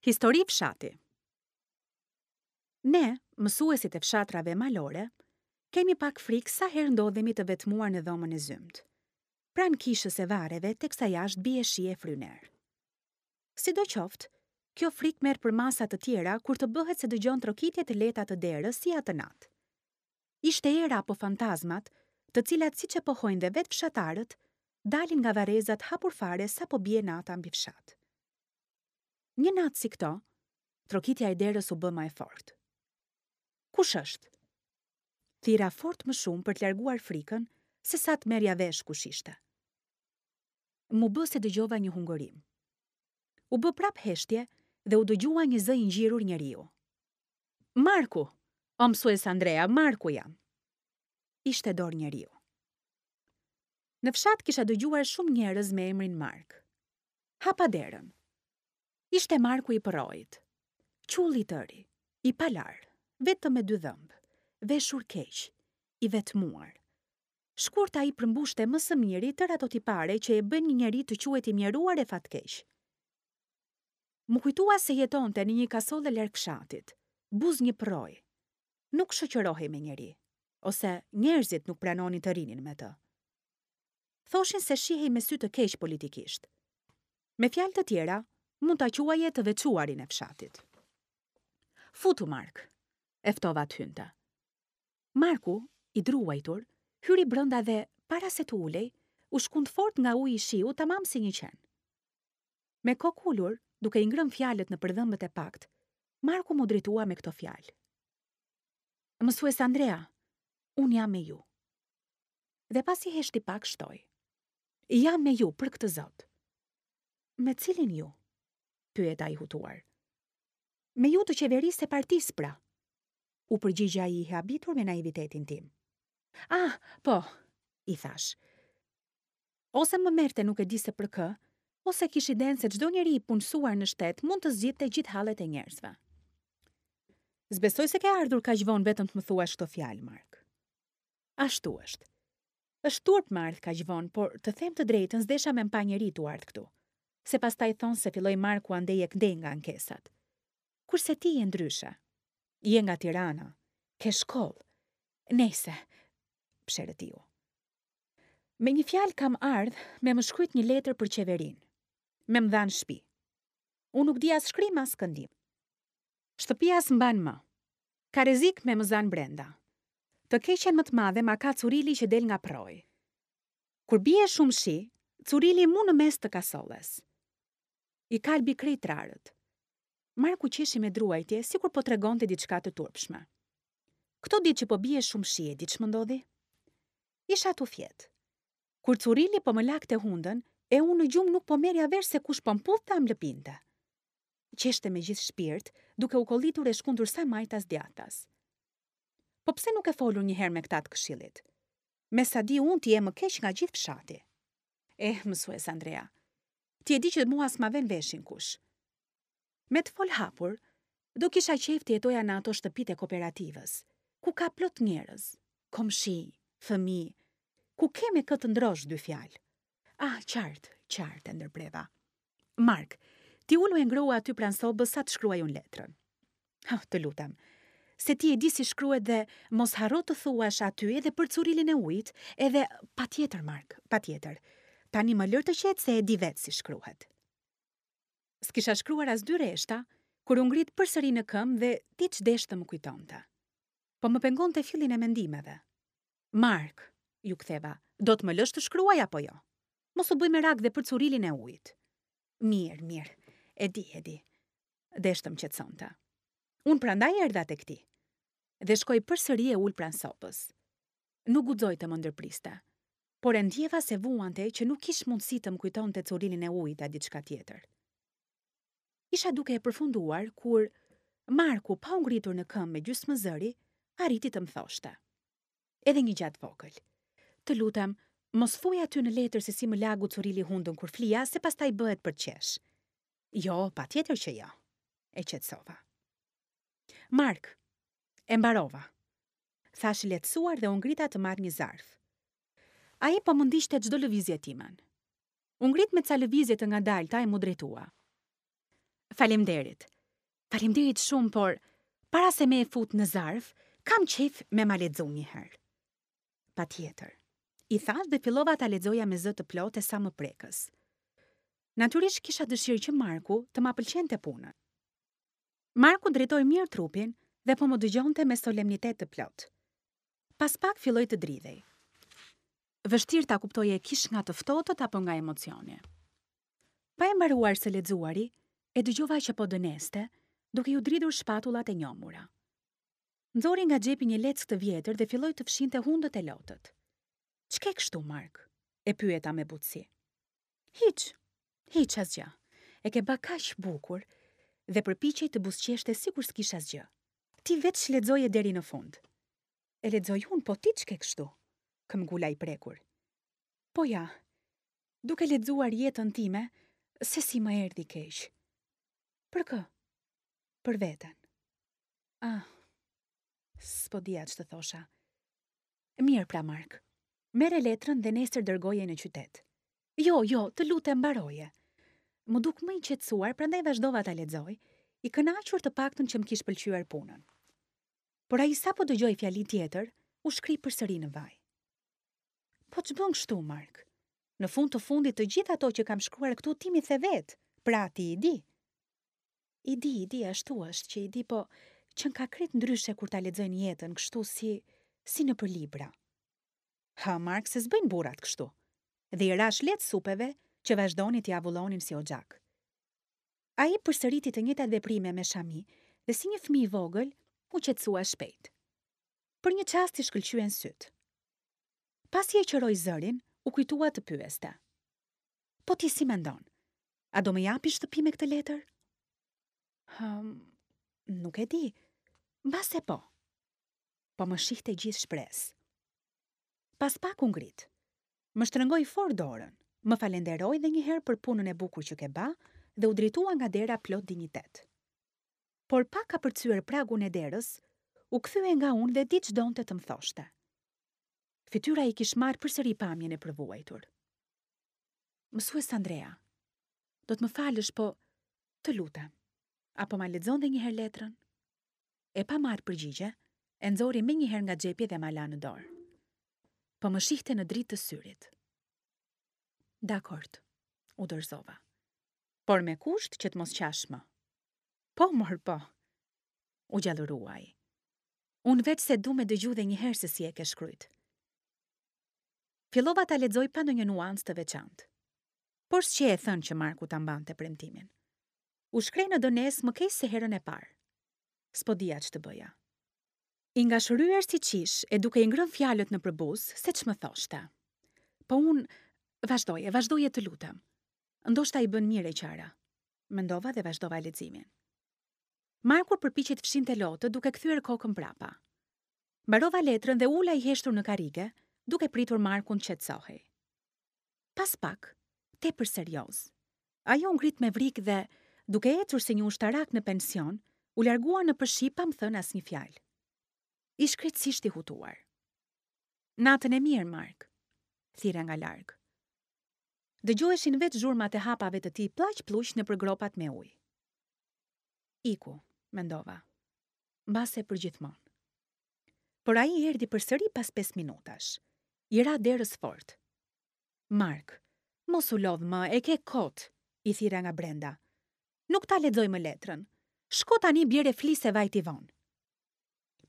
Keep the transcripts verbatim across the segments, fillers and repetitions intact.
Histori fshati. Ne, mësuesit e fshatrave malore, kemi pak frikë sa herë ndodhemi të vetmuar në dhomën e zymtë. Pranë kishës e varreve, teksa jashtë bie shi e fryn erë. Sidoqoftë, kjo frikë merr përmasa të tjera kur të bëhet se dëgjon trokitje të lehta të derës si atë natë. Ishte era apo fantazmat, të cilat siç e pohojnë dhe vetë fshatarët, dalin nga varrezat hapur fare sapo bie nata mbi fshat. Një natë si këto, trokitja e derës u bë më e fortë. Kush është? Thira fort më shumë për të larguar frikën, se sa të merrja vesh kush ishte. Mu bë se dëgjova një hungërim. U bë prap heshtje dhe u dëgjua një zë i ngjirur njeriu. Marku, o mësues Andrea, Marku jam. Ishte dorë njeriu. Në fshat kisha dëgjuar shumë njerëz me emrin Mark. Hapa derën. Ishte Marku i përroit. Qull i tëri, i palar, vetëm me dy dhëmbë, veshur keq, i vetmuar. Shkurt ai përmbushte më së miri tërë ato tipare që e bëjnë një njeri të quhet i mjeruar e fatkeq. Mu kujtua se jetonte në një kasolle larg fshatit, buzë një përroi. Nuk shoqërohej me njeri, ose njerëzit nuk pranonin të rinin me të. Thoshin se shihej me sy të keq politikisht. Me fjalë të tjera, mund ta quaje të veçuarin e fshatit. Futu, Mark, e ftova të hynte. Marku, i druajtur, hyri brenda dhe, para se të ulej, u shkund fort nga uji i shiu tamam si një qen. Me kokë ulur, duke i ngrënë fjalët në përdhëmbët e pakt, Marku mu drejtua me këto fjalë. Mësues Andrea, unë jam me ju. Dhe pasi heshti pak shtoi. Jam me ju për këtë Zot. Me cilin ju? Pyet ai hutuar. Me ju të qeverisë e partisë pra. U përgjigj ai i habitur me naivitetin tim. Ah, po, i thash. Ose më merrte nuk e di se për kë, ose kish idenë se çdo njeri i punësuar në shtet mund të zgjidhte gjithë hallet e njerëzve. Zbesoj se ke ardhur kaq vonë vetëm të më thuash këto fjalë, Mark. Ashtu është. Është turp më ardh kaq vonë, por të them të drejtën s'desha me mpa njeri tu ardh këtu. Se pastaj thonë se filloi Marku andej e këndej nga ankesat. Kurse ti je ndryshe. Je nga Tirana, ke shkollë. Nejse, psherëtiu. Me një fjalë kam ardh me më shkruajt një letër për qeverinë. Me më dhanë shtëpi. Unë nuk di as shkrim as këndim. Shtëpia s'mban më. Ka rrezik me më zanë brenda. Të keqen më të madhe ma ka curili që del nga prroi. Kur bie shumë shi, curili mu në mes të kasolles. I kalbi krejt trarët. Marku qeshi me druajtje, sikur po tregonte diçka të turpshme. Këto ditë që po bie shumë shi, e di ç'më ndodhi? Isha tu fjet. Kur curili po më lakte hundën, e unë në gjumë nuk po merrja vesh se kush po mputhte a më lëpinte. Qeshte me gjithë shpirt, duke u kollitur e shkundur sa majtas djathtas. Po pse nuk e folur një herë me këta të këshillit? Me sa di unë ti je më keq nga gjithë fshati. Eh, mësues Andrea, ti e di që mua s'ma ven veshin kush. Me të fol hapur, do kisha qejf të jetoja në ato shtëpitë e kooperativës, ku ka plot njerëz, komshi, fëmijë, ku ke me kë të ndrosh dy fjalë. Ah, qartë, qartë, e ndërpreva. Mark, ti ulu e ngrohu aty pranë sobës sa të shkruaj unë letrën. Ha, të lutem, se ti e di si shkruhet dhe mos harro të thuash aty edhe për curilin e ujit, edhe patjetër, Mark, patjetër. Tani më lër të qetë se e di vetë si shkruhet. S'kisha shkruar as dy rreshta, kur u ngrit përsëri në këmbë dhe diç desh të më kujtonte. Po më pengonte fillin e mendimeve. Mark, ju ktheva, do të më lësh të shkruaj apo jo? Mos u bëj merak dhe për curilin e ujit. Mirë, mirë, e di, e di. Desh të më qetësonte. Unë prandaj erdha tek ti. Dhe shkoi përsëri e ul pranë sopës. Nuk guxoi të më ndërpriste, por e ndjeva se vuante që nuk kish mundësi të më kujtonte curilin e ujit a diçka tjetër. Isha duke e përfunduar kur Marku, pa u ngritur në këmbë me gjysmë zëri, arriti të më thoshte. Edhe një gjatë vogël. Të lutem, mos thuaj aty në letër se si më lagu curili hundën kur flia, se pastaj bëhet për qesh. Jo, patjetër që jo, e qetësova. Mark, e mbarova. Thash lehtësuar dhe u ngrita të marr një zarf. Ai po më ndiqte çdo lëvizje timen. U ngrit me ca lëvizje të ngadalta e mu drejtua. Faleminderit. Faleminderit shumë, por para se me e fut në zarf, kam qejf me ma lexu një herë. Patjetër. I thash dhe fillova ta lexoja me zë të plotë e sa më prekës. Natyrisht kisha dëshirë që Marku të ma pëlqente punën. Marku drejtoi mirë trupin dhe po më dëgjonte me solemnitet të plotë. Pas pak filloi të dridhej. Vështirë ta kuptoje kish nga të ftohtët apo nga emocioni. Pa e mbaruar së lexuari, e dëgjova që po dëneste, duke ju dridhur shpatullat e njomura. Nxori nga xhepi një leckë të vjetër dhe filloi të fshinte hundët e lotët. Ç'ke kështu, Mark? E pyeta me butësi. Hiç, hiç asgjë. E ke ba kaq bukur dhe përpiqej të buzëqeshte sikur s'kish asgjë. Ti veç lexoje deri në fund. E lexoj unë, po ti ç'ke kështu? Këmbgula i prekur. Po ja, duke lexuar jetën time, se si më erdhi keq. Për kë? Për veten. Ah, s'po dija ç'të thosha. Mirë pra, Mark. Merre letrën dhe nesër dërgoje në qytet. Jo, jo, të lutem mbaroje. Më duk më i qetësuar, prandaj vazhdova ta lexoj, i kënaqur të paktën që më kish pëlqyer punën. Por ai sapo dëgjoi fjali tjetër, u shkri përsëri në vaj. Po ç'bën kështu, Mark? Në fund të fundit të gjithë ato që kam shkruar këtu ti mi the vetë, pra ti i di. I di, i di, ashtu është që i di, po që ka krejt ndryshe kur ta lexojnë jetën kështu si si nëpër libra. Ha, Mark, se s'bëjnë burrat kështu. Dhe i rash lehtë supeve që vazhdoni t'i avullonin si oxhak. Ai përsëriti të njëjtat veprime me shami dhe si një fëmijë i vogël u qetësua shpejt. Për një çast i shkëlqyen syt. Pasi e qëroi zërin, u kujtua të pyeste. Po ti si mendon? A do më japi shtëpi me këtë letër? Hëm, nuk e di. Mbase po. Po më shihte gjithë shpresë. Pas pak u ngrit. Më shtrëngoi fort dorën, më falenderoi dhe një herë për punën e bukur që ke ba dhe u drejtua nga dera plot dinjitet. Por pa kapërcyer pragun e derës, u kthye nga unë dhe di ç'donte të më thoshte. Fytyra i kish marrë përsëri pamjen e përvuajtur. Mësues Andrea, do të më falësh, po të lutem, apo ma lexon dhe një herë letrën? E pa marrë përgjigje, e nxori menjëherë nga xhepi dhe ma la në dorë. Po më shihte në dritë të syrit. Dakord, u dorëzova. Por me kusht që të mos qash më. Po, mor, po, u gjallërua ai. Unë veç se du me dëgju dhe një herë se si e ke shkrujt. Fillova ta lexoj pa ndonjë nuancë të veçantë. Por s'qe e thënë që Marku ta mbante premtimin. U shkrej në dënes më keq se herën e parë. S'po dija ç'të bëja. I ngashëryer si qish e duke i ngrënë fjalët në përbuz, se ç'më thoshte. Po unë, vazhdoje, vazhdoje të lutem. Ndoshta i bën mirë e qara. Mendova dhe vazhdova leximin. Marku përpiqej të fshinte lotët duke kthyer kokën prapa. Mbarova letrën dhe ula i heshtur në karrige, duke pritur Markun të qetësohej. Pas pak, tepër serioz, ajo u ngrit me vrik dhe, duke ecur si një ushtarak në pension, u largua në përshi pa më thënë asnjë fjalë. Ish krejtësisht i hutuar. Natën e mirë, Mark, thirra nga larg. Dëgjoheshin vetë zhurmat e hapave të tij pllaq pluq nëpër gropat me ujë. Iku, mendova, mbase përgjithmonë. Por ai erdhi përsëri pas pesë minutash. I ra derës fort. Mark, mos u lodh më, e ke kot, i thirra nga brenda. Nuk ta lexoj më letrën. Shko tani bjere fli se vajti vonë.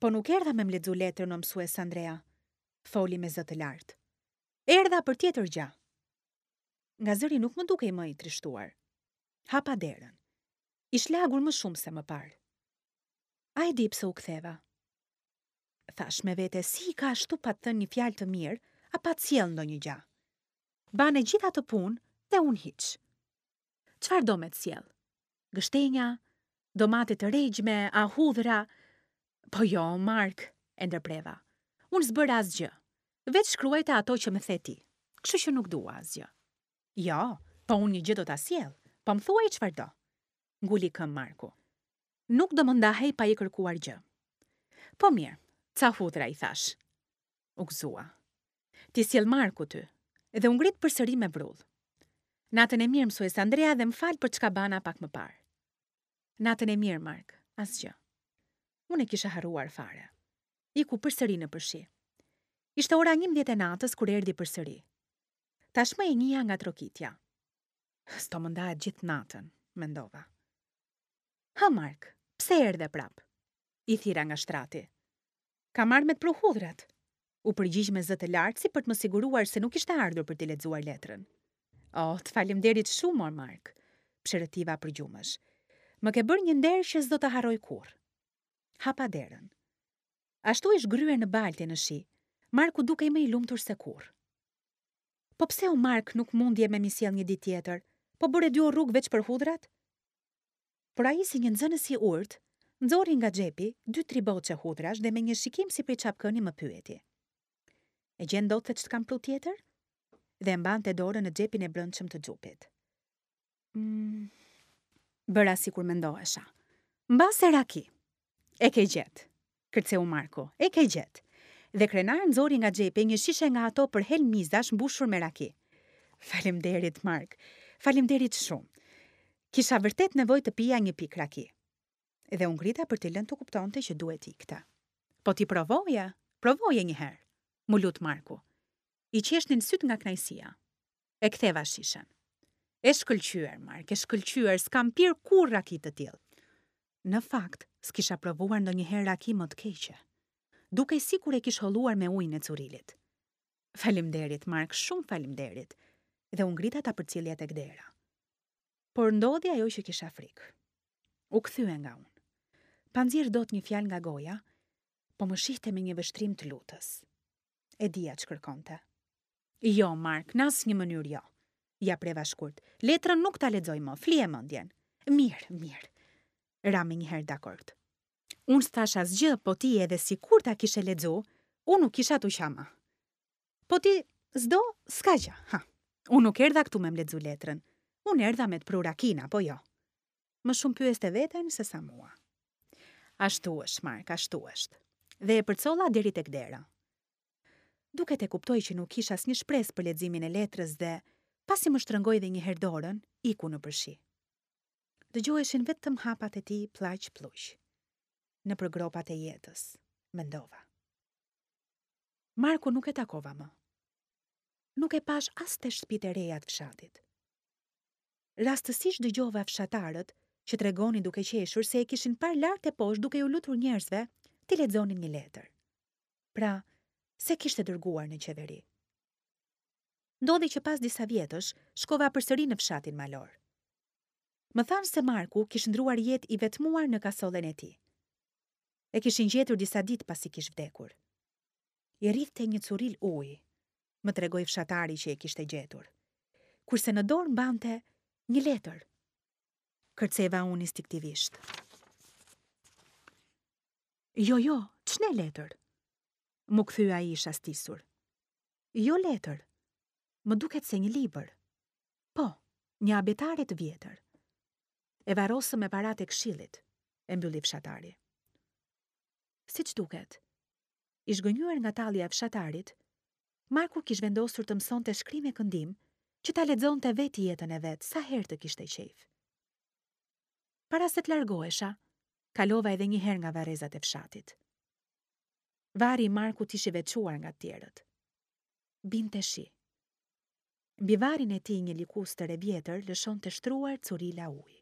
Po nuk erdha me më lexu letrën, o mësues Andrea, foli me zë të lartë. Erdha për tjetër gjë. Nga zëri nuk më dukej më i trishtuar. Hapa derën. Ish lagur më shumë se më parë. A e di pse u ktheva? Thash me vete si i ka ashtu pa të thënë një fjalë të mirë, a pa të sjell ndonjë gjë. Bane gjithë atë punë dhe unë hiç. Çfarë do me të sjell? Gështenja, domate të regjme, a hudhra? Po jo, Mark, e ndërpreva. Unë s'bëra asgjë. Veç shkruajta ato që më the ti. Kështu që nuk dua asgjë. Jo, po unë një gjë do ta sjell. Po më thuaj çfarë do. Nguli këmbë Marku. Nuk do më ndahej pa i kërkuar gjë. Po mirë, ca hudhra i thash. U gëzua. Ti sjell Marku ty, dhe u ngrit përsëri me vrull. Natën e mirë mësues Andrea dhe më fal për çka bana pak më parë. Natën e mirë, Mark, asgjë. Unë e kisha harruar fare. Iku përsëri nëpër shi. Ishte ora njëmbëdhjetë e natës kur erdhi përsëri. Tashmë e njihja nga trokitja. S'do më ndahet gjithë natën, mendova. Hë, Mark, pse erdhe prap? I thirra nga shtrati. Kam ardhur me të pru hudhrat. U përgjigj me zë të lartë si për të më siguruar se nuk ishte ardhur për t'i lexuar letrën. Oh, të faleminderit shumë, mor Mark, psherëtiva përgjumësh. Më ke bërë një nder që s'do ta harroj kurrë. Hapa derën. Ashtu i zhgryer në baltë e në shi, Marku dukej më i lumtur se kurrë. Po pse o Mark nuk mundje me m'i sjell një ditë tjetër? Po bëre dy orë rrugë veç për hudhrat? Por ai si një nxënës i urtë, nxori nga xhepi dy tri boçe hudhrash dhe me një shikim si prej çapkëni më pyeti. E gjen dot se ç'të kam pru tjetër? Dhe e mbante dorën në xhepin e brendshëm të xhupit. Mm, bëra sikur mendohesha. Mbase raki. E ke gjetë, kërceu Marku, e ke gjetë. Dhe krenar nxori nga xhepi një shishe nga ato për helm mizash mbushur me raki. Faleminderit, Mark. Faleminderit shumë. Kisha vërtet nevojë të pija një pikë raki. Dhe u ngrita për t'i lënë të kuptonte që duhet ikte. Po ti provoje, provoje një herë, mu lut Marku. I qeshnin syt nga kënaqësia. E ktheva shishen. E shkëlqyer, Mark, e shkëlqyer, s'kam pirë kurrë raki të tillë. Në fakt, s'kisha provuar ndonjëherë raki më të keqe. Dukej sikur e kish holluar me ujin e curilit. Faleminderit, Mark, shumë faleminderit. Dhe u ngrita ta përcillja tek dera. Por ndodhi ajo që kisha frikë. U kthye nga unë. Pa nxjerr dot një fjalë nga goja, po më shihte me një vështrim të lutës. E dija ç'kërkonte. Jo, Mark, në asnjë mënyrë jo. Ja preva shkurt. Letrën nuk ta lexoj më, flije mendjen. Mirë, mirë. Ra menjëherë dakord. Unë s'thash asgjë, po ti edhe sikur ta kishe lexu, unë nuk kisha t'u qa më. Po ti s'do, s'ka gjë, ha. Unë nuk erdha këtu me më lexu letrën. Unë erdha me të pru rakin, apo jo? Më shumë pyeste veten se sa mua. Ashtu është, Mark, ashtu është. Dhe e përcolla deri tek dera. Duket e kuptoi që nuk kisha asnjë shpresë për leximin e letrës dhe, pasi më shtrëngoi dhe një herë dorën, iku nëpër shi. Dëgjoheshin vetëm hapat e tij pllaq pluq. Nëpër gropat e jetës, mendova. Marku nuk e takova më. Nuk e pash as te shtëpitë e reja të fshatit. Rastësisht dëgjova fshatarët që tregonin duke qeshur se e kishin parë lart e poshtë duke ju lutur njerëzve t'i lexonin një letër. Pra, se kishte dërguar në qeveri. Ndodhi që pas disa vjetësh shkova përsëri në fshatin malor. Më thanë se Marku kish ndruar jetë i vetmuar në kasollen e tij. E kishin gjetur disa ditë pasi kish vdekur. I rridhte një curil ujë, më tregoi fshatari që e kishte gjetur. Kurse në dorë mbante një letër. Kërceva unë instinktivisht. Jo, jo, ç'ne letër? Mu kthy ai i shastisur. Jo letër. Më duket se një libër. Po, një abetare të vjetër. E varrosëm me paratë e këshillit, e mbylli fshatari. Siç duket, i zhgënjyer nga tallja e fshatarit, Marku kish vendosur të mësonte shkrim e këndim që ta lexonte vetë jetën e vet sa herë të kishte qejf. Para se të largohesha, kalova edhe një herë nga varrezat e fshatit. Varri i Markut ish i veçuar nga të tjerët. Binte shi. Mbi varrin e tij një likustër e vjetër lëshonte shtruar curila ujë.